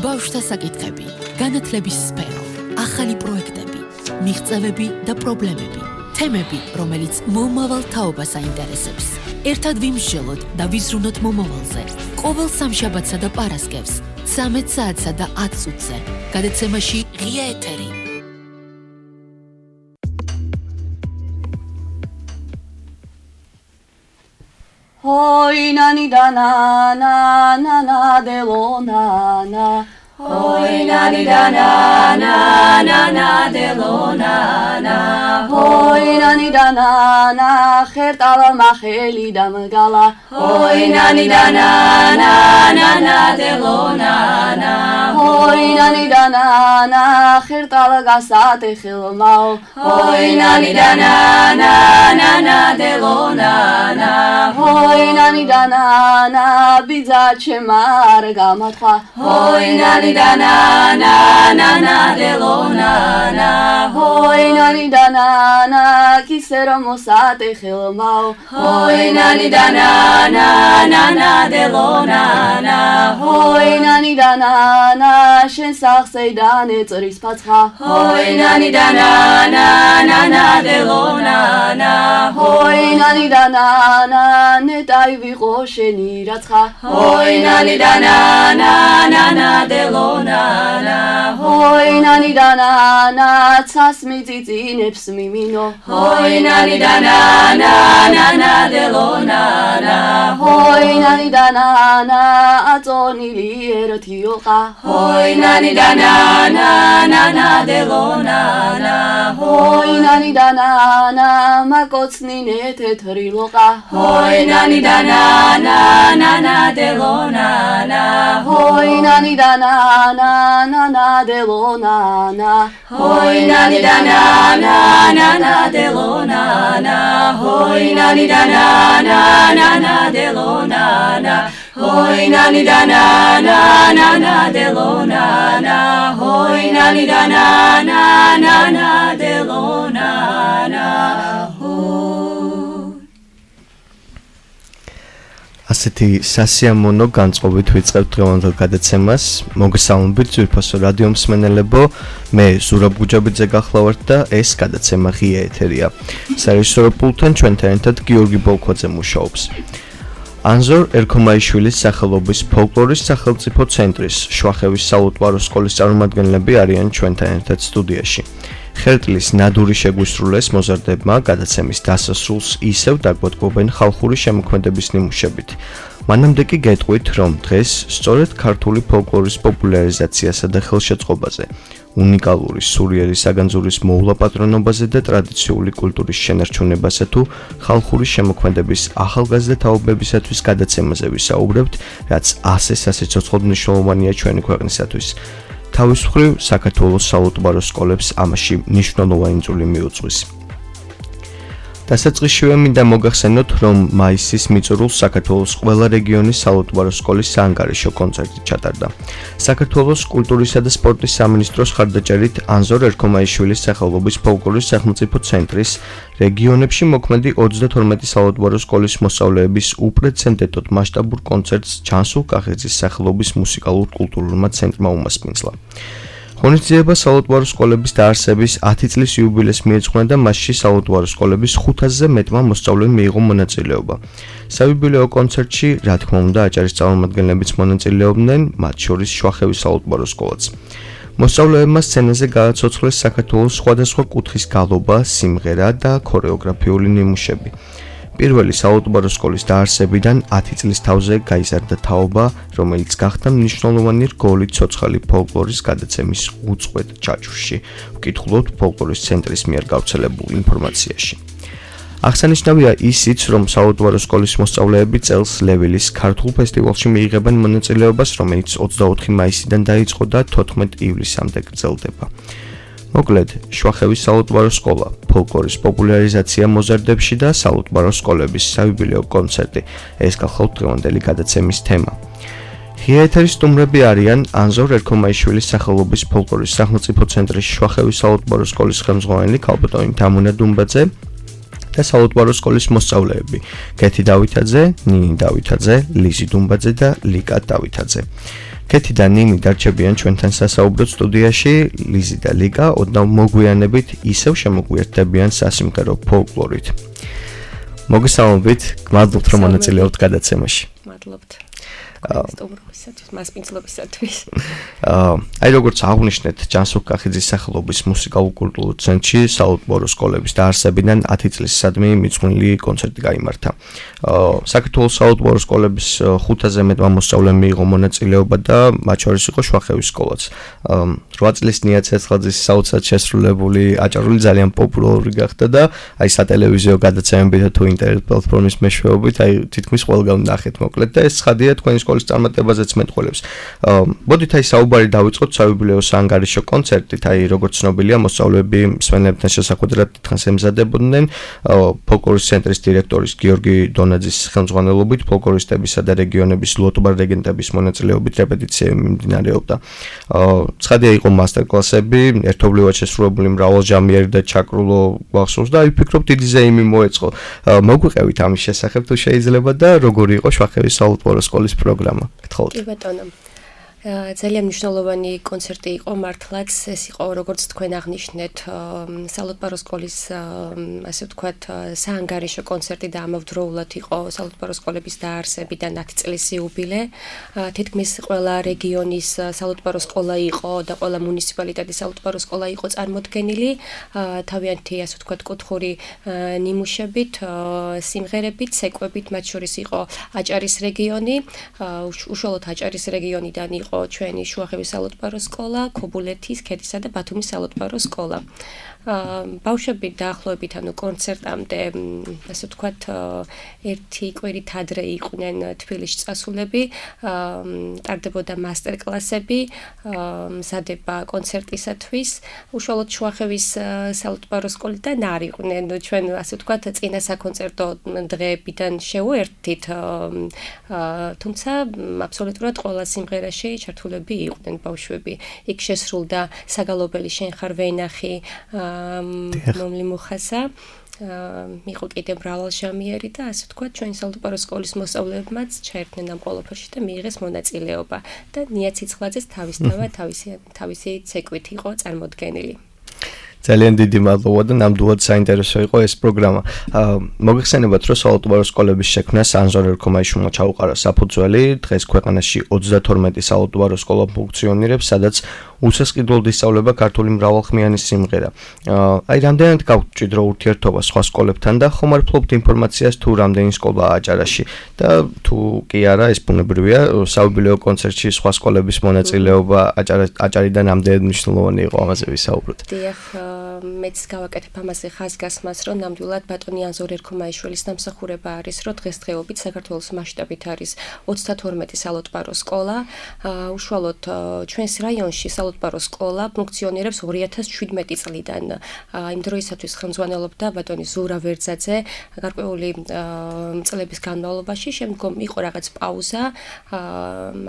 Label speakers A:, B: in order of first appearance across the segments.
A: ბავშვთა საკითხები, განათლების სფერო, ახალი პროექტები, მიღწევები და პრობლემები, თემები, რომელიც მომავალ თაობას აინტერესებს. ერთად ვიმსჯელოთ და ვიზრუნოთ მომავალზე. ყოველ სამშაბათსა და პარასკევს, 13 საათსა და 10 წუთზე, გადაცემაში ღია ეთერი.
B: Hoy nani da na na na na de lo na na. Hoy nani da na na na na de lo na na. Hoy nani da na na khertala makheli da magala. Hoy nani da na na na na de lo na na. Hoy nani da na na khertala gasate khilmao. Hoy nani da na na na na de lo na na. Hoy nani da na na biza chemar gamatha. Hoy nani da na na na na de lo na na. Hoy nani da na na kisero mosate khilmao. Hoy nani da na na na na de lo na na. Hoy nani da na na shen saxeidane tsoris patsha. Hoy nani da na na na na de lo na na. Hoy nani da na na netay viqo sheni ratsha. Hoy nani da na na na na de lo na na. Hoy nani da na na tsas mitsitsinebs mimino. Hoy nani da na na na na de lo na na. Hoy nani da na na atsonili erotioqa. Hoy nani da na na na na de lo na na. Hoy nani da na na makotsnine tetriloqa. Hoy nani da na na na na de lo na na. Hoy nani da na na na na de lo na na. Hoy nani da na na na na de lo na na. Hoy nani da na na na na de lo na na. Hoy nani da na na na na de lo na na. Hoy nani da na na na na de lo na na.
C: ასეთი სასიამოვნო განწყობით ვიწყებთ დღევანდელ გადაცემას. მოგესალმებით ძვირფასო რადიო მსმენელებო, მე ზურაბ გუჯაბიძე გახლავართ და ეს გადაცემა ღია ეთერია. სარეჟისორო პულტთან ჩვენთან ერთად გიორგი ბოლქვაძე მუშაობს. ანზორ ერქომაიშვილის სახელობის ფოლკლორის სახელმწიფო ცენტრის შვახევის საუთვარო სკოლის წარმომადგენლები არიან ჩვენთან ერთად სტუდიაში. ხერტლის ნადური შეგვისრულეს მოზარდებმა გადაცემის დასასრულს ისევ დაგვატყობენ ხალხური შემოქმედების ნიმუშებით. მანამდე კი გეტყვით, რომ დღეს სწორედ ქართული ფოლკლორის პოპულარიზაციასა და ხელშეწყობაზე, უნიკალური სურიერი საგანძურის მოულაპატრონობაზე და ტრადიციული კულტურის შენარჩუნებასა თუ ხალხური შემოქმედების ახალგაზრდა თაობებისათვის გადაცემაზე ვისაუბრებთ, რაც ასე საცოცხლოდ მნიშვნელოვანია ჩვენი ქვეყნისათვის. თავის მხრივ საქართველოს საუთვარო სკოლებს ამაში მნიშვნელოვანი წვლილი მიუძღვის. დასაწყისშივე მინდა მოგახსენოთ, რომ მაისის მიწურულს საქართველოს ყველა რეგიონის საუთვარო სკოლის საანგარიშო კონცერტი ჩატარდა. საქართველოს კულტურისა და სპორტის სამინისტროს ხარდაჭერით ანზორ ერქომაიშვილის სახელობის ფოლკლორის სახელმწიფო ცენტრის რეგიონებში მოქმედი 32 საუთვარო სკოლის მოსწავლეების უპრეცედენტოდ მასშტაბურ კონცერტს ჩანსულ კახეძის სახელობის მუსიკალურ-კულტურულმა ცენტრმა უმასპინძლა. ღონისძიება საუთვარო სკოლების დაარსების 10 წლის იუბილეს მიეძღვნა და მასში საუთვარო სკოლების 500-ზე მეტმა მოსწავლემ მიიღო მონაწილეობა. საიუბილეო კონცერტში, რა თქმა უნდა, აჭარის წარმომადგენლებიც მონაწილეობდნენ, მათ შორის შვახევის საუთვარო სკოლაც. მოსწავლეებმა სცენაზე გააცოცხლეს საქართველოს სხვადასხვა კუთხის გალობა, სიმღერა და ქორეოგრაფიული ნიმუშები. პირველი საუთვარო სკოლის დაარსებიდან 10 წლის თავზე გაიზარდა თაობა, რომელიც გახდა მნიშვნელოვანი რგოლი ცოცხალი ფოლკლორის გადაცემის უწყვეტ ჩაჭრში. ვკითხულობთ ფოლკლორის ცენტრის მიერ გავრცელებულ ინფორმაციაში. აღსანიშნავია ისიც, რომ საუთვარო სკოლის მოსწავლეები წელს ლევილის ქართულ ფესტივალში მიიღებენ მონაწილეობას, რომელიც 24 მაისიდან დაიწყო და 14 ივლისამდე გრძელდება. მოკლედ, შვახევის საუთვარო სკოლა, ფოლკლორის პოპულარიზაცია მოზარდებში და საუთვარო სკოლების საიუბილეო კონცერტი. ეს გახლავთ დღევანდელი გადაცემის თემა. ღია ეთერის სტუმრები არიან ანზორ ერქომაიშვილის სახელობის ფოლკლორის სახელმწიფო ცენტრის შვახევის საუთვარო სკოლის ხელმძღვანელი ქალბატონი თამუნა დუმბაძე და საუთვარო სკოლის მოსწავლეები: კეთი დავითაძე, ნინი დავითაძე, ლიზი დუმბაძე და ლიკა დავითაძე. კეთი და ნინი დარჩებიან ჩვენთან სასაუბრო სტუდიაში, ლიზი და ლიკა ოდნავ მოგვიანებით ისევ შემოგვიერთდებიან სასიმღერო ფოლკლორით. მოგესალმებით, გმადლობთ რომ მონაწილეობთ გადაცემაში.
B: მადლობთ. მასპინძლობისათვის.
C: აი როგორც აღვნიშნეთ, ჯანსუღ კახიძის სახელობის მუსიკალურ-კულტურულ ცენტრში საალტბორო სკოლების დაარსებიდან 10 წლის სადმი მიძღვნილი კონცერტი გაიმართა. საქართველოს საალტბორო სკოლების 5-ზე მეტმა მოსწავლემ მიიღო მონაწილეობა და მათ შორის იყო შვახევის სკოლაც. 8 წლის ნია ცეცხლაძის საოცრად შესრულებული აჭარული ძალიან პოპულარული გახდა და აი სატელევიზიო გადაცემებით თუ ინტერნეტ პლატფორმის მეშვეობით აი თითქმის ყველგან ნახეთ მოკლედ და ეს ცხადია თქვენი სკოლის წარმატებაზეც მეტყველებს. მოდით აი საუბარი დავიწყოთ საიუბილეო საანგარიშო კონცერტით, აი როგორც ცნობილია მოსწავლეები მსმენელებთან შესახვედრად დიდხანს ემზადებოდნენ ფოლკლორის ცენტრის დირექტორის გიორგი დონაძის ხელმძღვანელობით ფოლკლორისტებისა და რეგიონების ლოტბარ რეგენტების მონაწილეობით რეპეტიციები მიმდინარეობდა. ცხადია იყო მასტერკლასები, ერთობლივად შესრულებული მრავალჟამიერი და ჩაკრულო გახსოვს და აი ვფიქრობ დიდი ზეიმი მოეწყო. მოგვიყევით ამის შესახებ თუ შეიძლება და როგორი იყო შვახევის საალტბორო სკოლის პროგრამა. გთხოვთ.
B: კი ბატონო. ძალიან მნიშვნელოვანი კონცერტი იყო მართლაც, ეს იყო როგორც თქვენ აღნიშნეთ საალტბორო სკოლის ასე ვთქვათ საანგარიშო კონცერტი და ამავდროულად იყო საალტბორო სკოლების დაარსებიდან 10 წლის იუბილე. თითქმის ყველა რეგიონის საალტბორო სკოლა იყო და ყველა მუნიციპალიტეტის საალტბორო სკოლა იყო წარმოდგენილი თავიანთი ასე ვთქვათ კუთხური ნიმუშებით, სიმღერებით, ცეკვებით, მათ შორის იყო აჭარის რეგიონი, უშუალოდ აჭარის რეგიონიდან იყო ჩვენი შუახევის საალტბორო სკოლა, ქობულეთის, ქედისა და ბათუმის საალტბორო სკოლა. ბავშვები დაახლოებით ანუ კონცერტამდე ასე ვთქვათ ერთი კვირით ადრე იყვნენ თბილისში წასულები, ტარდებოდა მასტერკლასები, მზადება კონცერტისათვის. უშუალოდ შუახევის საალტბორო სკოლიდან არ იყვნენ ჩვენ ასე ვთქვათ წინა საკონცერტო დღეებიდან შევუერთდით, თუმცა აბსოლუტურად ყველა სიმღერაში ჩართულები იყვნენ ბავშვები. იქ შესრულდა საგალობელი შენ ხარ ვენახი მომლი მუხასა, იყო კიდევ მრავალჟამიერი და ასე ვთქვათ ჩვენი საალტბორო სკოლის მოსწავლეებმაც ჩაერთნენ ამ ყველაფერში და მიიღეს მონაწილეობა და ნია ცეცხლაძეს თავისი ცეკვით იყო წარმოდგენილი.
C: ძალიან დიდი მადლობა და ნამდვილად საინტერესო იყო ეს პროგრამა. მოგეხსენებათ, რომ საალტბორო სკოლების შექმნას ანზორ ერქომაიშვილმა ჩაუყარა საფუძველი. დღეს ქვეყანაში 32 საალტბორო სკოლა ფუნქციონირებს, სადაც უსასყიდლოდ ისწავლება ქართული მრავალხმიანი სიმღერა. აი რამდენად გაქვთ მჭიდრო ურთიერთობა სხვა სკოლებთან და ხომ არ ფლობთ ინფორმაციას თუ რამდენი სკოლაა აჭარაში და თუ კი არა ეს ბუნებრივია, საიუბილეო კონცერტში სხვა სკოლების მონაწილეობა აჭარიდან რამდენად მნიშვნელოვანი იყო ამაზე ვისაუბროთ.
B: დიახ, მეც გავაკეთებ ამაზე ხაზგასმას, რომ ნამდვილად ბატონი ანზორ ერქომაიშვილის დამსახურება არის, რომ დღესდღეობით საქართველოს მასშტაბით არის 32 საალტბორო სკოლა. უშუალოდ ჩვენს რაიონში საალტბორო სკოლა ფუნქციონირებს 2017 წლიდან. იმ დროისათვის ხელმძღვანელობდა ბატონი ზურა ვერძაძე გარკვეული წლების განმავლობაში, შემდგომ იყო რაღაც პაუზა,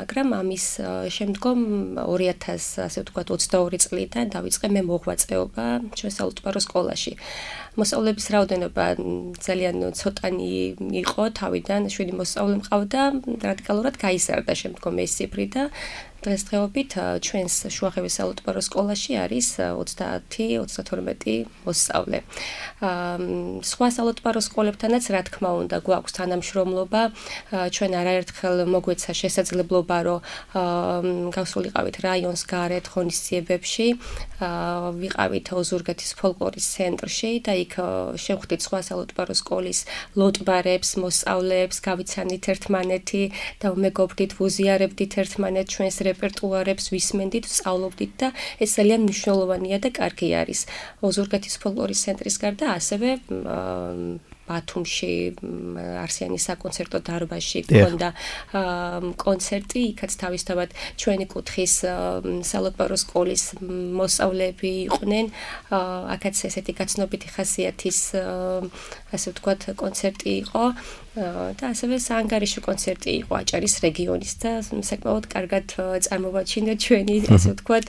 B: მაგრამ ამის შემდგომ 2000 ასე ვთქვათ 22 წლიდან დავიწყე მე მოღვაწეობა ჩვენ საალტბორო სკოლაში. მოსწავლეების რაოდენობა ძალიან ცოტანი იყო, თავიდან 7 მოსწავლე მყავდა, რადიკალურად გაიზარდა შემდგომ ეს ციფრი და დღესდღეობით ჩვენს შუახევის საალტბორო სკოლაში არის 30-32 მოსწავლე. სხვა საალტბორო სკოლებთანაც რა თქმა უნდა გვაქვს თანამშრომლობა, ჩვენ არაერთხელ მოგვეცა შესაძლებლობა, რომ გავსულიყავით რაიონს გარეთ ღონისძიებებში, ვიყავით ოზურგეთის ფოლკლორის ცენტრში და იქ შევხვდით სხვა საალტბორო სკოლის ლოტბარებს, მოსწავლეებს, გავიცანით ერთმანეთი და ვმეგობრდით, ვუზიარებდით ერთმანეთს ჩვენს რეპერტუარებს, ვისმენდით, ვსწავლობდით და ეს ძალიან მნიშვნელოვანია და კარგი არის. ოზურგეთის ფოლკლორის ცენტრის გარდა ასევე ბათუმში არსიანის საკონცერტო დარბაზში გქონდა კონცერტი, იქაც თავისთავად ჩვენი კუთხის საალტბორო სკოლის მოსწავლეები იყვნენ, აქაც ესეთი გაცნობიტი ხასიათის ასე ვთქვათ კონცერტი იყო და ასევე საანგარიშო კონცერტი იყო აჭარის რეგიონის და საკმაოდ კარგად წარმოვაჩინეთ ჩვენი ასე ვთქვათ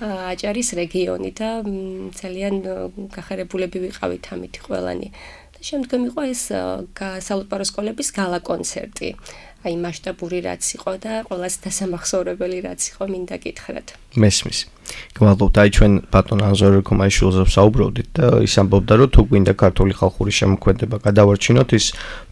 B: აჭარის რეგიონი და ძალიან გახარებულები ვიყავით ამით ყველანი. შემდგომ იყო ეს საალტბორო სკოლების გალა კონცერტი.
D: აი მასშტაბური რაც იყო და ყველას დასამახსოვრებელი რაც იყო მინდა გითხრათ.
C: მესმის. გმადლობთ, აი ჩვენ ბატონ ანზორ ერქომაიშვილზე ვსაუბრობდით და ის ამბობდა, რომ თუ გვინდა ქართული ხალხური შემოქმედება გადავარჩინოთ, ის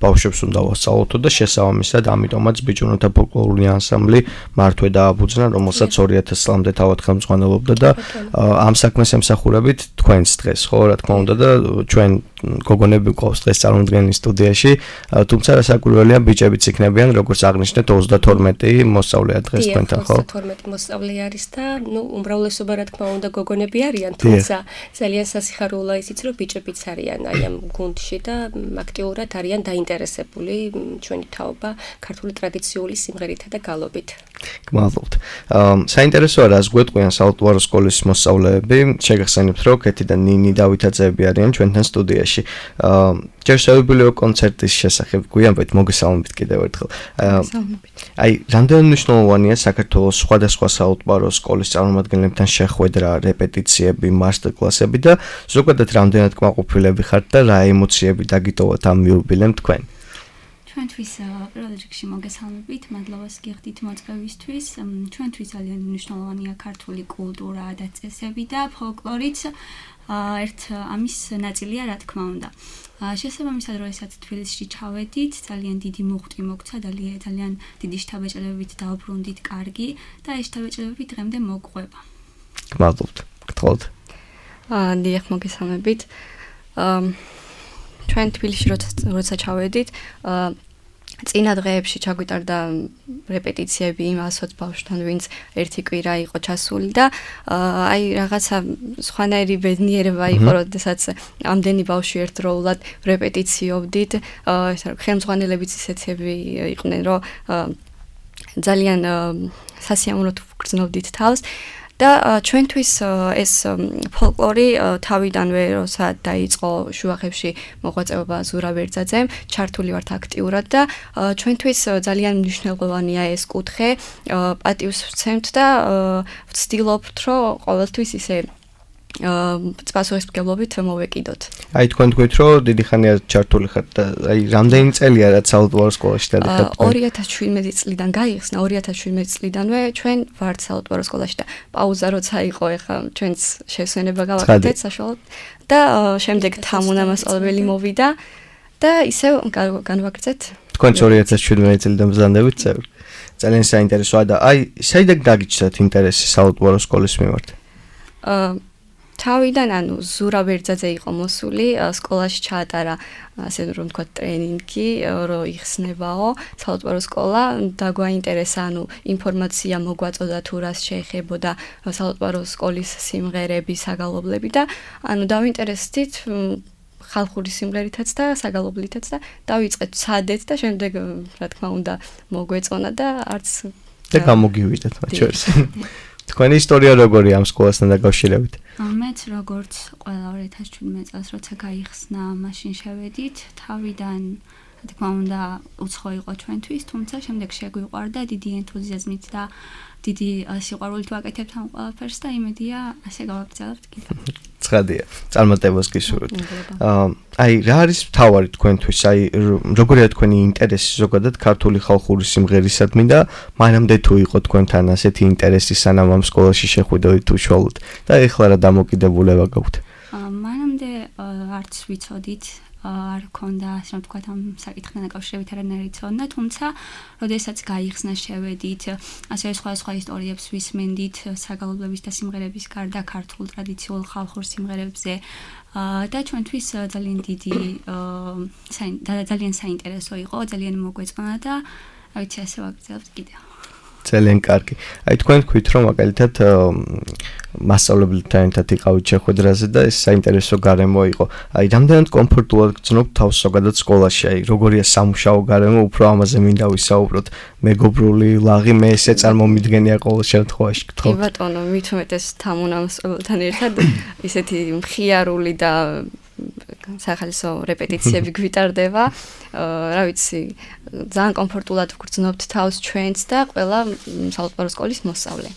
C: ბავშვებს უნდა ვასწავლოთ და შესაბამისად ამიტომაც ბიჭუნათა ფოლკლორული ანსამბლი მართვე დააბუძნა, რომელსაც 2000 წლამდე თავად ხელმძღვანელობდა და ამ საქმეს ემსახურებით თქვენს დღეს, ხო, რა თქმა უნდა და ჩვენ გოგონები გვყავს დღეს წარმოდგენილი სტუდიაში, თუმცა რასაკვირველია ბიჭებიც იქნებიან, როგორც აღნიშნეთ 32 მოსწავლეა დღეს თქვენთან, ხო?
D: 32 მოსწავლე არის და ნუ უმრავლესობა რა თქმა უნდა გოგონები არიან, თუმცა ძალიან სასიხარულოა ისიც, რომ ბიჭებიც არიან აი ამ გუნდში და აქტიურად არიან დაინტერესებული ჩვენი თაობა ქართული ტრადიციული სიმღერითა და გალობით.
C: გმადლობთ. საინტერესოა რას გვეტყვიან საალტუარო სკოლის მოსწავლეები. შეგახსენებთ, რომ კეთი და ნინი დავითაძეები არიან ჩვენთან სტუდიაში. ჯერ შევებილიო კონცერტის შესახებ გვიანბეთ, მოგესალმებით კიდევ ერთხელ. აი, რამდენად მნიშვნელოვანია საქართველოს სხვადასხვა საალტუარო სკოლის წარმომადგენლებთან შეხვედრა, რეპეტიციები, მასტერკლასები და ზოგადად რამდენად კმაყოფილები ხართ და რა ემოციები დაგიტოვოთ ამ იუბილემ თქვენ?
E: ჩვენთვის პირველ რიგში მოგესალმებით, მადლობას გიხდით მოწვევისთვის. ჩვენთვის ძალიან მნიშვნელოვანია ქართული კულტურა და წესები და ფოლკლორიც ერთ ამის ნაწილია, რა თქმა უნდა. შესაბამისად, როდესაც თბილისში ჩავედით, ძალიან დიდი მუხტი მოგცა, ძალიან დიდი შთაბეჭდილებით დავბრუნდით კარგი და ეს შთაბეჭდილებები დღემდე მოგყვება.
C: გმადლობთ. გთხოვთ.
B: დიახ, მოგესალმებით. ჩვენ თბილისში როცა ჩავედით, წინა დღეებში ჩაგვიტარდა რეპეტიციები იმ 120 ბავშვთან, ვინც ერთი კვირა იყო ჩასული და აი რაღაცა სხვანაირი ბედნიერება იყო, როდესაც ამდენი ბავშვი ერთდროულად რეპეტიციობდით. ხელმძღვანელებიც ისეთები იყვნენ, რომ ძალიან სასიამოვნოდ ვგრძნობდით თავს. და ჩვენთვის ეს ფოლკლორი თავიდანვე როცა დაიწყო შუახევში მოღვაწეობა ზურაბ ერთაძემ, ჩართული ვართ აქტიურად და ჩვენთვის ძალიან მნიშვნელოვანია ეს კუთხე, პატივს ვცემთ და ვცდილობთ, რომ ყოველთვის ისე პასუხისმგებლობით მოვეკიდოთ.
C: აი თქვენ თქვით, რომ დიდი ხანია ჩართული ხართ და აი რამდენი წელია რაც საალტუარო სკოლაში დადიხართ?
B: 2017 წლიდან გაიხსნა, 2017 წლიდანვე ჩვენ ვართ საალტუარო სკოლაში და პაუზა როცა იყო, ეხლა ჩვენც შესვენება გავაკეთეთ საშუალოდ და შემდეგ თანამასწავლებელი მოვიდა და ისევ განვაგრძეთ.
C: თქვენ 2017 წლიდან ბრძანდებით წევრი. ძალიან საინტერესოა და აი საიდან გაგიჩნდათ ინტერესი საალტუარო სკოლის მიმართ?
B: თავიდან ანუ ზურაბ ერთაძე იყო მოსული, სკოლაში ჩაატარა ასე რომ ვთქვათ ტრენინგი, რომ იხსნებაო საალტუარო სკოლა და გვაინტერესა ანუ ინფორმაცია მოგვაწოდა თუ რას შეეხებოდა საალტუარო სკოლის სიმღერები, საგალობლები და ანუ დავინტერესდით ხალხური სიმღერითაც და საგალობლითაც და დავიწყეთ ცადეთ და შემდეგ რა თქმა უნდა მოგვეწონა და არც
C: და გამოგივიდეთ მათ შორის. თქვენი ისტორია როგორია ამ სკოლასთან დაკავშირებით?
E: მეც როგორც ყველა 2017 წელს როცა გაიხსნა, მაშინ შევედით, თავიდან რა თქმა უნდა უცხო იყო ჩვენთვის, თუმცა შემდეგ შეგვიყვარდა დიდი ენთუზიაზმით და დიდი სიყვარულით ვაკეთებთ ამ ყველაფერს და იმედია ასე გავაგრძელებთ კიდევ.
C: ცხადია, წარმატებას გისურვებთ. აი რა არის მთავარი თქვენთვის? აი როგორია თქვენი ინტერესი ზოგადად ქართული ხალხური სიმღერისადმი და მანამდე თუ იყო თქვენთან ასეთი ინტერესი სანამ ამ სკოლაში შეხვიდით უშუალოდ და ეხლა რა დამოკიდებულება გაქვთ?
E: მანამდე არც ვიცოდით არ ქონდა ასე რომ თქვა ამ საკითხთან დაკავშირებით არანაირი ცოდნა, თუმცა როდესაც გაიხსნა შევედით, ასე სხვა ისტორიებს ვისმენდით საგალობლების და სიმღერების გარდა ქართულ ტრადიციულ ხალხურ სიმღერებზე და ჩვენთვის ძალიან დიდი ძალიან საინტერესო იყო, ძალიან მოგვეწონა და რა ვიცი ასე ვაგრძელებთ კიდევ.
C: ძალიან კარგი. აი თქვენ თქვით რომ მაგალითად მასწავლებელთან ერთად იყავით შეხვედრაზე და ეს საინტერესო გარემო იყო. აი რამდენად კომფორტულად გრძნობთ თავს ზოგადად სკოლაში? აი როგორია სამუშაო გარემო? უფრო ამაზე მინდა ვისაუბროთ. მეგობრული ლაღი მე ესე წარმომიდგენია ყოველ შემთხვევაში.
B: კი ბატონო, მით უმეტეს თანამასწავლებელთან ერთად ისეთი მხიარული და სახალისო რეპეტიციები გვიტარდება. რა ვიცი, ძალიან კომფორტულად ვგრძნობთ თავს ჩვენც და ყველა საალტუარო სკოლის მოსწავლე.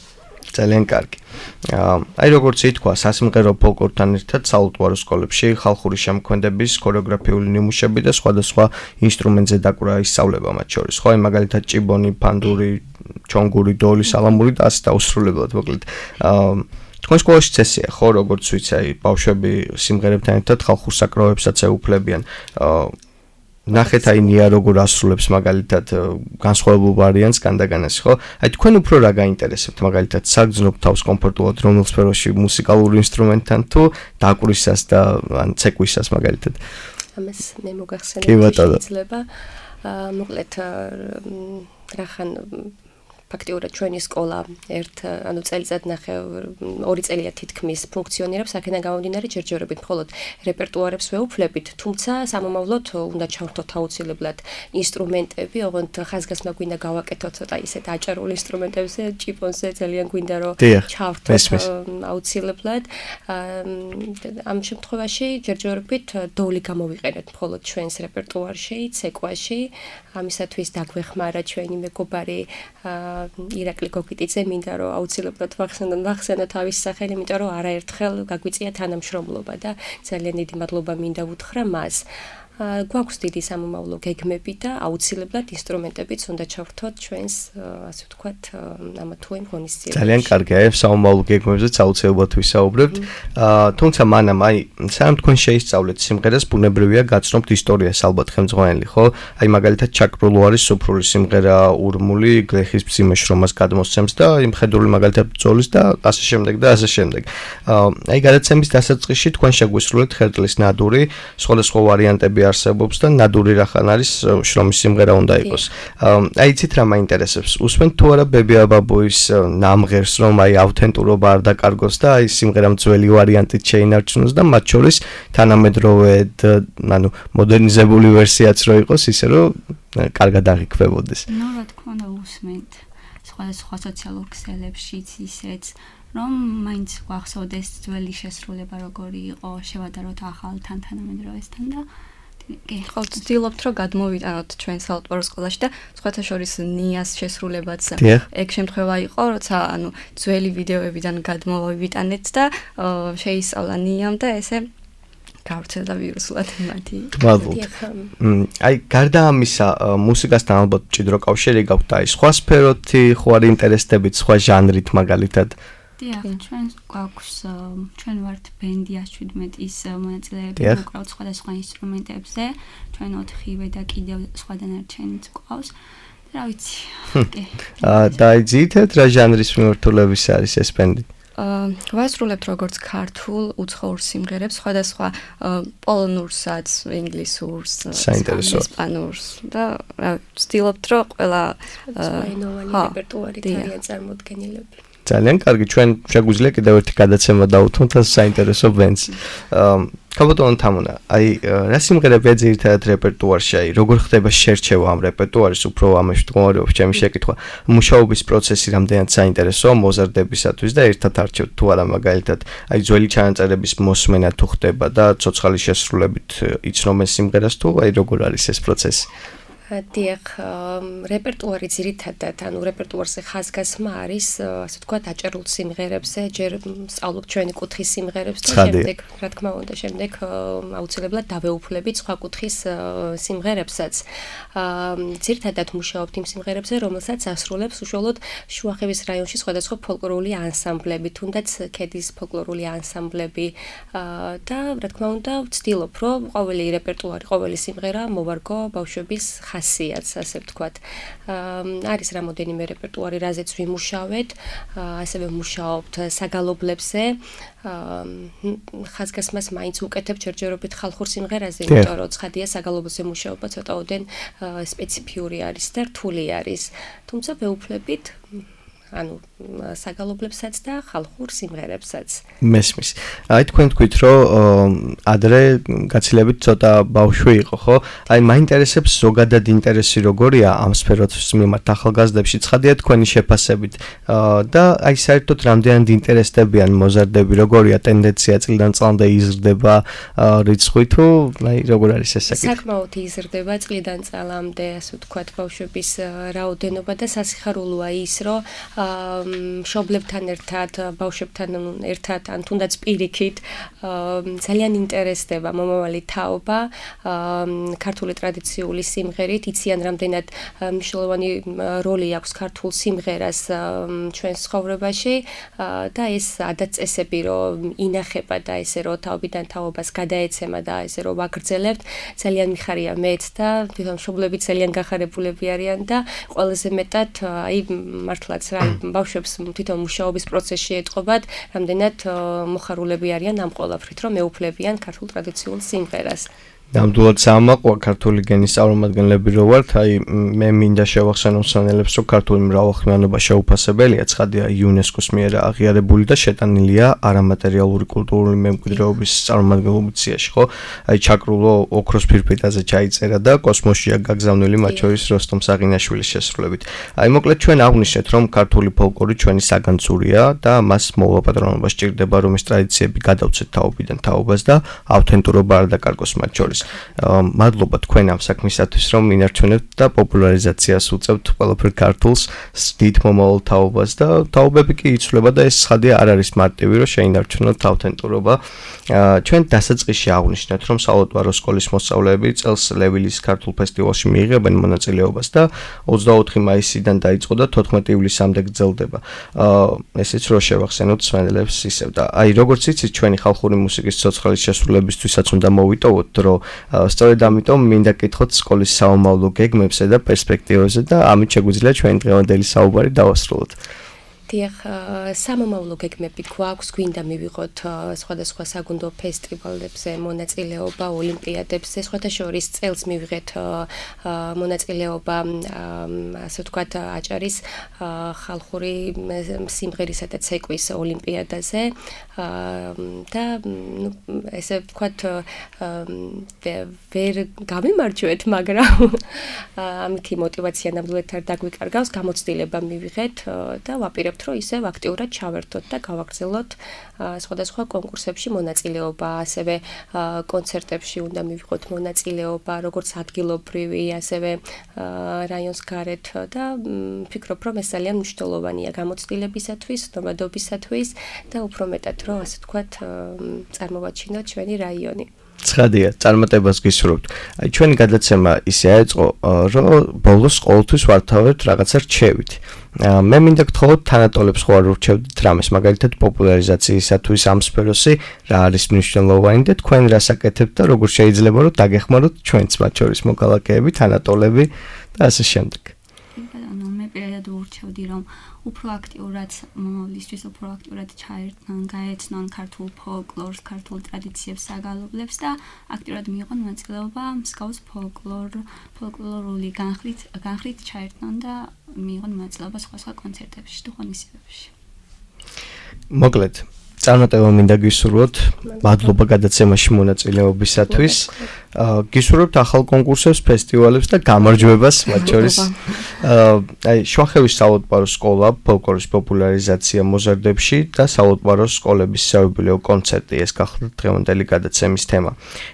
C: ძალიან კარგი. აი როგორც ითქვა, სასიმღერო ფოლკლორთან ერთად საალტუარო სკოლებში ხალხური შემოქმედების ქორეოგრაფიული ნიმუშები და სხვადასხვა ინსტრუმენტზე დაკვრა ისწავლება მათ შორის. ხო, აი მაგალითად ჭიბონი, ფანდური, ჩონგური, დოლი, სალამური და ასე დაუსრულებლად, მოკლედ. თქვენ სკოლაში წესია, ხო, როგორც ვიცი, აი ბავშვები სიმღერებთან ერთად ხალხურ საკრავებსაც ეუფლებიან. ნახეთ აი ნია როგორ ასრულებს მაგალითად განსხვავებულ ვარიანტს განდაგანას, ხო? აი თქვენ უფრო რა გაინტერესებთ მაგალითად საგრძნობ თავს კომფორტულად რომელ სფეროში მუსიკალურ ინსტრუმენტთან თუ დაკვირვისას და ან ცეკვისას მაგალითად?
D: ამას მე მოგახსენებთ შეიძლება მოკლედ რახან ფაქტიურად ჩვენი სკოლა წელიწად ნახე 2 წელია თითქმის ფუნქციონირებს, აქედან გამომდინარე ჯერჯერობით მხოლოდ რეპერტუარებს ვეუფლებით, თუმცა სამომავლოდ უნდა ჩავრთოთ აუცილებლად ინსტრუმენტები, ოღონდ ხაზგასმა გვინდა გავაკეთოთ ცოტა ისეთ აჭარულ ინსტრუმენტებზე, ჭიპონზე ძალიან გვინდა რომ ჩავრთოთ აუცილებლად. ამ შემთხვევაში ჯერჯერობით დოლი გამოვიყენეთ მხოლოდ ჩვენს რეპერტუარში, ცეკვაში, ამისათვის დაგვეხმარა ჩვენი მეგობარი ირაკლი გოგიტიძე, მინდა რომ აუცილებლად ვახსენო თავის სახელი, იმიტომ რომ არაერთხელ გაგვიწია თანამშრომლობა და ძალიან დიდი მადლობა მინდა უთხრა მას. გვაქვს დიდი სამომავლო გეგმები და აუცილებლად ინსტრუმენტებიც უნდა ჩავრთოთ ჩვენს, ასე ვთქვათ, ამა თუ იმ ღონისძიებაში. ძალიან
C: კარგია, სამომავლო გეგმებზეც აუცილებლად ვისაუბრებთ. თუმცა მანამ აი, სანამ თქვენ შეისწავლეთ სიმღერას, ბუნებრივია გაცნობთ ისტორიას ალბათ ხელმძღვანელი, ხო? აი მაგალითად ჩაკრულო არის სუფრული სიმღერა, ურმული, გლეხის მძიმე შრომას გადმოსცემს და იმ ხედრული მაგალითად ბრძოლის და ასე შემდეგ და ასე შემდეგ. აი გადაცემის დასაწყისში თქვენ შეგვისრულეთ ხერტლის ნადური, სხვადასხვა ვარიანტები არსებობს და ნადური რახან არის შრომის სიმღერა უნდა იყოს. აი იცით რა მაინტერესებს? უსმენთ თუ არა ბებია ბაბუის ნამღერს, რომ აი ავთენტურობა არ დაკარგოს და აი სიმღერამ ძველი ვარიანტით შეინარჩუნოს და მათ შორის თანამედროვე, ანუ მოდერნიზებული ვერსიაც რო იყოს, ისე რომ კარგად აღიქვებოდეს.
E: ნუ რა თქმა უნდა უსმენთ სხვადასხვა სოციალურ ქსელებშიც ისეც რომ მაინც გვახსოვდეს ძველი შესრულება როგორი იყო, შევადაროთ ახალთან თანამედროვესთან და
B: ხო, ვცდილობთ რომ გადმოვიტანოთ ჩვენ საალტუარო სკოლაში და სხვათა შორის ნიას შესრულებაც ეგ შემთხვევა იყო, როცა ანუ ძველი ვიდეოებიდან გადმოვიტანეთ და შეისწავლა ნიამ და ესე გავრცელდა ვირუსულად მათი.
C: აი გარდა ამისა, მუსიკასთან ალბათ მჭიდრო კავშირი გაქვთ და აი სხვა სფეროთი ხო არ ინტერესდებით სხვა ჟანრით მაგალითად?
E: დიახ, ჩვენ გვაქვს, ჩვენ ვართ ბენდი 117-ის მონაწილეები, ვიკრავთ სხვადასხვა ინსტრუმენტებზე, ჩვენ 4-ვე და კიდევ სხვა დანარჩენიც გვყავს. რა ვიცი.
C: და ძირითადად რა ჟანრის მიმართულების არის ეს ბენდი?
B: ვასრულებთ როგორც ქართულ უცხოურ სიმღერებს, სხვადასხვა პოლონურსაც, ინგლისურს, ესპანურს და ვცდილობთ რომ ყველა
D: რეპერტუარი ძალიან წარმოდგენილები.
C: ძალიან კარგი, ჩვენ შეგვიძლია კიდევ ერთი გადაცემა დავუთმოთ ამ საინტერესო ბენდს. კაბოტონ თამუნა, აი რა სიმღერებია ძირითადად რეპერტუარში, აი როგორ ხდება შერჩევა ამ რეპერტუარის, უფრო ამაში მდგომარეობს ჩემი შეკითხვა. მუშაობის პროცესი რამდენად საინტერესოა მოზარდებისათვის და ერთად არჩევთ თუ არა მაგალითად, აი ძველი ჩანაწერების მოსმენა თუ ხდება და ცოცხალი შესრულებით იცნობენ სიმღერას თუ აი როგორ არის ეს პროცესი?
D: დიახ, რეპერტუარი ძირითადად, ანუ რეპერტუარზე ხაზგასმა არის, ასე ვთქვათ, აჭარულ სიმღერებზე, ჯერ სწავლობ ჩვენი კუთხის სიმღერებს და შემდეგ, რა თქმა უნდა, შემდეგ აუცილებლად დავეუფლებით სხვა კუთხის სიმღერებსაც. ძირითადად მუშაობთ იმ სიმღერებზე, რომელსაც ასრულებს უშუალოდ შუახევის რაიონში სხვადასხვა ფოლკლორული ანსამბლები, თუნდაც ქედის ფოლკლორული ანსამბლები და რა თქმა უნდა, ვცდილობ, რომ ყოველი რეპერტუარი, ყოველი სიმღერა მოვარგო ბავშვების ხასიათს, ასე ვთქვათ. არის რამოდენიმე რეპერტუარი, რაზეც ვიმუშავეთ, ასევე ვმუშაობთ საგალობლებზე. ხაზგასმას მაინც ვუკეთებ ჯერჯერობით ხალხურ სიმღერაზე, იმიტომ რომ ცხადია საგალობლებზე მუშაობა ცოტაოდენ სპეციფიური არის და რთული არის. თუმცა ვეუფლებით ანუ საგალობლებსაც და ხალხურ სიმღერებსაც.
C: მესმის. აი თქვენ თქვით, რომ ადრე გაცილებით ცოტა ბავშვი იყო, ხო? აი მაინტერესებს ზოგადად ინტერესი როგორია ამ სფეროს მიმართ ახალგაზრდებში, ცხადია თქვენი შეფასებით და აი საერთოდ რამდენად ინტერესდებიან მოზარდები, როგორია ტენდენცია წლიდან წლამდე იზრდება რიცხვი თუ აი როგორ არის ეს საკითხი?
D: საკმაოდ იზრდება წლიდან წლამდე, ასე ვთქვათ, ბავშვების რაოდენობა და სასიხარულოა ის, რომ მშობლებთან ერთად, ბავშვებთან ერთად, ან თუნდაც პირიქით ძალიან ინტერესდება მომავალი თაობა ქართული ტრადიციული სიმღერით, იციან რამდენად მნიშვნელოვანი როლი აქვს ქართულ სიმღერას ჩვენს ცხოვრებაში და ეს ადაწესები რომ ინახება და ესე რომ თაობიდან თაობას გადაეცემა და ესე რომ ვაგრძელებთ, ძალიან მიხარია მეც და თვითონ მშობლები ძალიან გახარებულები არიან და ყველაზე მეტად აი მართლაც რა ბავშვებს თვითონ მუშაობის პროცესში ეტყობათ, რამდენად მოხარულები არიან ამ ყველაფრით, რომ მეუფლებიან ქართულ ტრადიციულ სიმღერას.
C: ნამდვილად საამაყოა ქართული გენის წარმომადგენლები რო ვართ, აი მე მინდა შევახსენო მსმენელებს, რომ ქართული მრავალხმიანობა შეუფასებელია, ცხადია იუნესკოს მიერ აღიარებული და შეტანილია არამატერიალური კულტურული მემკვიდრეობის წარმომადგენლობის სიაში, ხო? აი ჩაკრულო ოქროს ფირფიტაზე ჩაიწერა და კოსმოსშია გაგზავნილი, მათ შორის როსტომ საღინაშვილის შესრულებით. აი მოკლედ ჩვენ აღვნიშნეთ, რომ ქართული ფოლკლორი ჩვენი საგანცურია და მას მოვაპატრონობა სჭირდება, რომ ეს ტრადიციები გადავცეთ თაობიდან თაობას და ავთენტურობა არ დაკარგოს მათ შორის. მადლობა თქვენ ამ საქმისათვის, რომ ინარჩუნებთ და პოპულარიზაციას უწევთ ყველაფერ ქართულს, დიდ მომავალ თაობას და თაობები კი იცვლება და ეს ცხადია არ არის მარტივი, რომ შეინარჩუნოთ ავთენტურობა. ჩვენ დასაწყისში აღვნიშნეთ, რომ საალუტბარო სკოლის მოსწავლეები წელს ლევილის ქართულ ფესტივალში მიიღებენ მონაწილეობას და 24 მაისიდან დაიწყო და 14 ივლისამდე გრძელდება. ესეც რო შევახსენოთ მსმენელებს ისევ და აი როგორც იცით, ჩვენი ხალხური მუსიკის ცოცხალი შესრულებისთვისაც უნდა მოვიტოვოთ, რომ სწორედ ამიტომ მინდა გკითხოთ სკოლის საომავლო გეგმებზე და პერსპექტივებზე და ამით შეგვიძლია ჩვენი დღევანდელი საუბარი დავასრულოთ.
D: დიახ, სამომავლო გეგმები გვაქვს, გვინდა მივიღოთ სხვადასხვა საგუნდო ფესტივალებზე მონაწილეობა, ოლიმპიადებზე, სხვათა შორის წელს მივიღეთ მონაწილეობა, ასე ვთქვათ, აჭარის ხალხური სიმღერისა და ცეკვის ოლიმპიადაზე და ესე ვთქვათ, ვერ გამიმარჯვეთ, მაგრამ ამითი мотиваცია ნამდვილად არ დაგვიკარგავს, გამოცდილება მივიღეთ და ვაპირებთ რომ ისევ აქტიურად ჩავერთოთ და გავაგრძელოთ სხვადასხვა კონკურსებში მონაწილეობა, ასევე კონცერტებში უნდა მივიღოთ მონაწილეობა, როგორც ადგილობრივი, ასევე რაიონს გარეთ და ვფიქრობ, რომ ეს ძალიან მნიშვნელოვანია გამოცდილებისათვის, ნომადობისათვის და უფრო მეტად რომ ასე ვთქვათ, წარმოვაჩინოთ ჩვენი რაიონი.
C: ცხადია, წარმატებას გისურვებთ. აი ჩვენი გადაცემა ისე აეწყო, რომ ბოლოს ყოველთვის ვართავებთ რაღაცა რჩევით. მე მინდა გთხოვოთ თანატოლებს ხო არ ურჩევდით რამეს, მაგალითად პოპულარიზაციისათვის ამ სფეროში რა არის მნიშვნელოვანი და თქვენ რას აკეთებთ და როგორ შეიძლება რომ დაგეხმაროთ ჩვენც მათ შორის მოქალაქეები, თანატოლები და ასე შემდეგ.
E: მე პირადად ურჩევდი რომ უფრო აქტიურად მომავლისთვის უფრო აქტიურად ჩაერთონ, გაეცნონ ქართულ ფოლკლორს, ქართულ ტრადიციებს, საგალობლებს და აქტიურად მიიღონ მონაწილეობა მსგავს ფოლკლორული განხრით ჩაერთონ და მიიღონ მონაწილეობა სხვა კონცერტებში თუ ღონისძიებებში.
C: მოკლედ წარმატება მინდა გისურვოთ, მადლობა გადაცემაში მონაწილეობისათვის. გისურვებთ ახალ კონკურსებს, ფესტივალებს და გამარჯვებას მათ შორის. აი შუახევის საალუტბარო სკოლა, ფოლკლორის პოპულარიზაცია მოზარდებში და საალუტბარო სკოლების საიუბილეო კონცერტი ეს გახლავთ დღევანდელი გადაცემის თემა.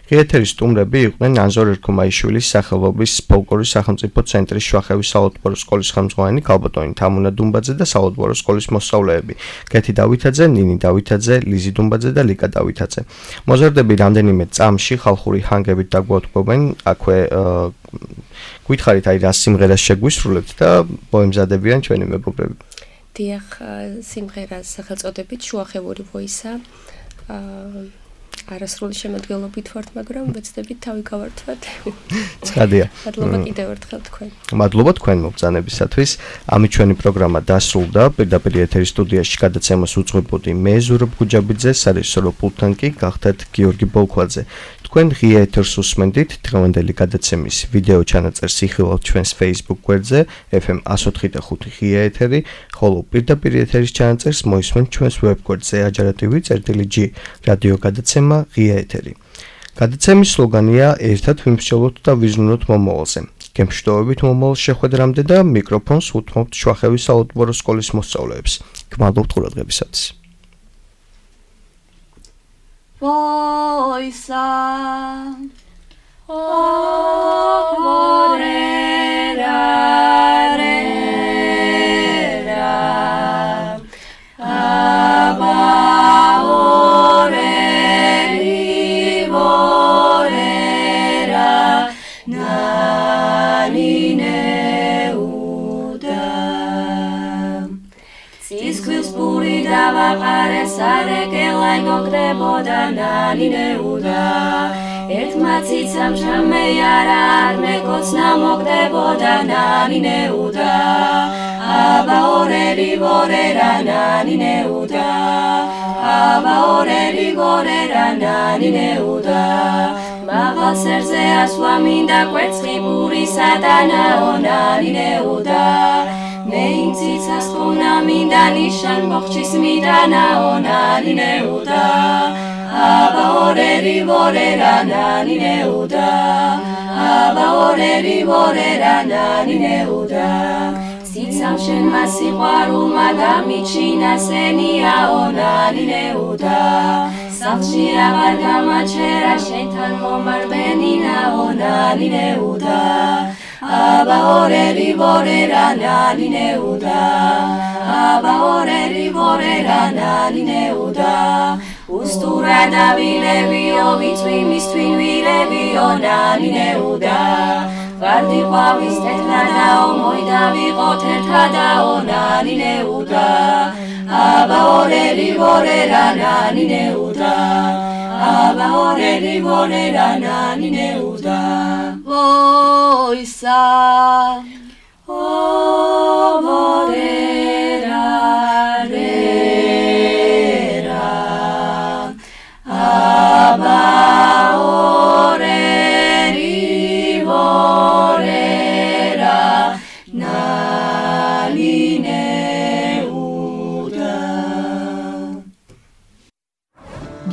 C: ღიეთერის სტუმრები იყვნენ ანზორ ერქომაიშვილის სახელობის ფოლკლორის სახელმწიფო ცენტრის შუახევის საალუტბარო სკოლის ხელმძღვანელი ქალბატონი თამუნა დუმბაძე და საალუტბარო სკოლის მოსწავლეები კეთი დავითაძე, ნინი დავითაძე, ლიზი დუმბაძე და ლიკა დავითაძე. მოზარდები რამდენიმე წამში ხალხური ჰანგებით დაგვატყობენ, აქვე გითხარით აი რა სიმღერას შეგვისრულებთ და მოემზადებიან ჩვენი მეგობრები.
D: დიახ, სიმღერას სახელწოდებით შუახევური ვოისა. არასრული შემოდგენობით ვართ, მაგრამ ვეცდებით თავი გავართვათ.
C: ცხადია.
D: მადლობა კიდევ ერთხელ თქვენ.
C: მადლობა თქვენ მობრძანებისათვის. ამით ჩვენი პროგრამა დასრულდა. პირდაპირ ეთერის სტუდიაში გადაცემას უძღვებოდი მე ზურაბ გუჯაბიძე, სარეჟისორო პულტთან კი გახდათ გიორგი ბოლქვაძე. თქვენ ღია ეთერს უსმენდით დღევანდელი გადაცემის ვიდეო ჩანაწერს იხილავთ ჩვენს Facebook გვერდზე FM 104.5 ღია ეთერი, ხოლო პირდაპირ ეთერის ჩანაწერს მოისმენთ ჩვენს ვებ გვერდზე ajaratv.g რადიო გადაცემა ღია ეთერი. გადაცემის სლოგანია ერთად ვიმსჯელოთ და ვიზრუნოთ მომავალზე. გემშვიდობებით მომავალ შეხვედრამდე და მიკროფონს უთმობთ შუახევის საალუტბარო სკოლის მოსწავლეებს. გმადლობთ ყურადღებისათვის.
B: Voisa საყარეს არეკელაი გოგდებოდა ნანინეუდა ერთმა ციცამ ჩამეიარა არნეკოცნა მოგდებოდა ნანინეუდა აბა ორერი ვორერა ნანინეუდა აბა ორერი ვორერა ნანინეუდა მაღალ სერზე ასვლა მინდა კვერცხი პურისა და ნაონანინეუდა მე იმ ციცას ხუნა მინდა ნიშან მოხჩის მიდანა ონანინეუდა აბა ორერი ვორერა ნანინეუდა აბა ორერი ვორერა ნანინეუდა ციცამ შენმა სიყვარულმა გამიჩინა სენია ონანინეუდა სახლში აღარ გამაჩერა შენთან მომარბენინა ონანინეუდა აბა ორერი ვორერა ნანინეუდა აბა ორერი ვორერა ნანინეუდა უსტურა დავილებიო ვიწვიმის თვინ ვირებიო ნანინეუდა ვარდი ყვავის თეთრადაო მოიდავიყოთ ერთადაო ნანინეუდა აბა ორერი ვორერა ნანინეუდა აბა ორერი ვორერა ნანინეუდა
A: ვოისა
B: ო ვორერა რერა აბა ორერი ვორერა ნანინეუდა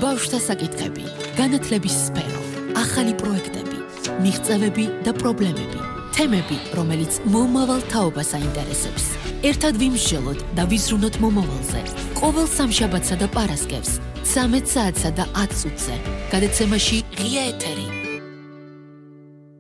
A: ბავშვთა საკითხები, განათლების სფერო, ახალი პროექტები, მიღწევები და პრობლემები, თემები, რომელიც მომავალ თაობას აინტერესებს. ერთად ვიმსჯელოთ და ვიზრუნოთ მომავალზე. ყოველ სამშაბათსა და პარასკევს, 13 საათსა და 10 წუთზე. გადაცემაში ღია ეთერი.